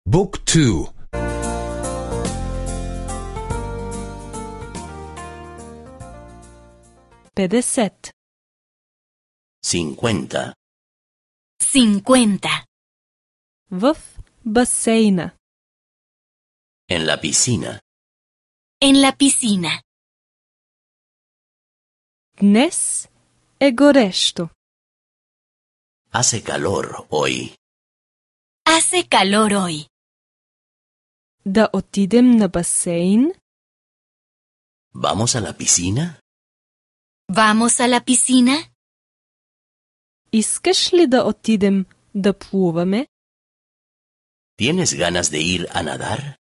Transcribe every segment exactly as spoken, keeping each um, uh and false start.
Book two. петдесет. Cincuenta. Cincuenta. В басейна. En la piscina. En la piscina. Днес е горещо. Hace calor hoy. Hace calor hoy. Да отидем на басейн? ¿Vamos a la piscina? ¿Vamos a la piscina? Искаш ли да отидем да плуваме? ¿Tienes ganas de ir a nadar?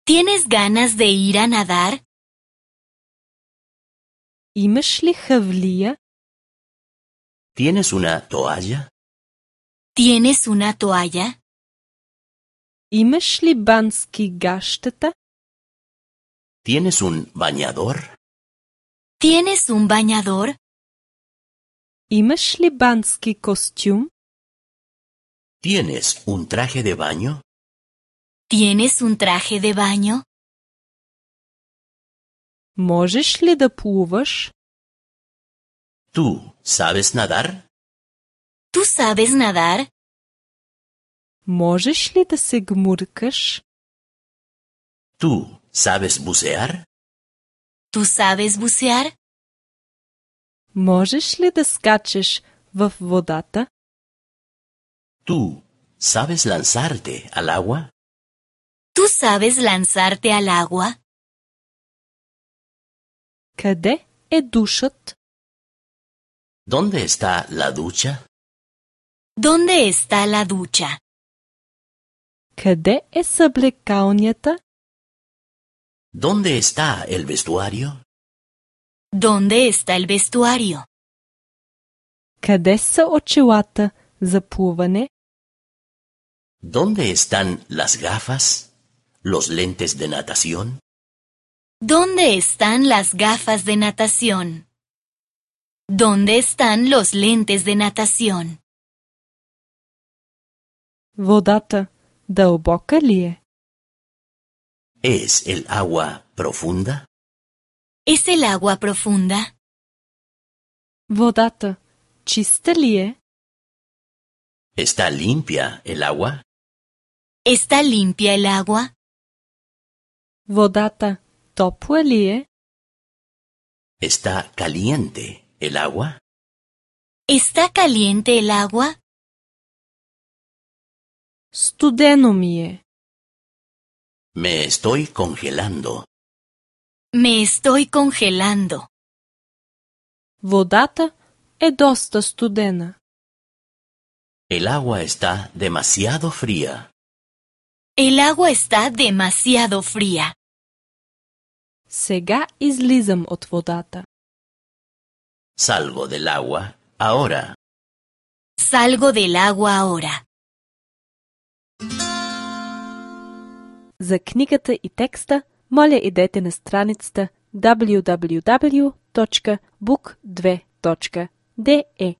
¿Tienes ganas de ir a nadar? Имаш ли хавлия? ¿Tienes una toalla? ¿Tienes una toalla? Имаш ли бански гащета? ¿Tienes un bañador? ¿Tienes un bañador? Имаш ли бански костюм? ¿Tienes un traje de baño? ¿Tienes un traje de baño? Можеш ли да плуваш? ¿Tú sabes nadar? ¿Tú sabes nadar? Можеш ли да се гмуркаш? ¿Tú sabes bucear? ¿Tú sabes bucear? Можеш ли да скачеш в водата? ¿Tú sabes lanzarte al agua? ¿Tú sabes lanzarte al agua? Къде е душът? ¿Dónde está la ducha? ¿Dónde está la ducha? Къде е съблекалнята? ¿Dónde está el vestuario? ¿Dónde está el vestuario? Къде са очилата за плуване? ¿Dónde están las gafas? ¿Los lentes de natación? ¿Dónde están las gafas de natación? ¿Dónde están los lentes de natación? Водата дълбока ли е? ¿Es el agua profunda? ¿Es el agua profunda? Водата чиста ли е? ¿Está limpia el agua? ¿Está limpia el agua? Водата топла ли е? ¿Está caliente el agua? ¿Está caliente el agua? Студено ми е. Me estoy congelando. Me estoy congelando. Водата е доста студена. El agua está demasiado fría. El agua está demasiado fría. Сега излизам от водата. Salgo del agua ahora. Salgo del agua ahora. За книгата и текста, моля идете на страницата даблю даблю даблю точка бук две точка де е.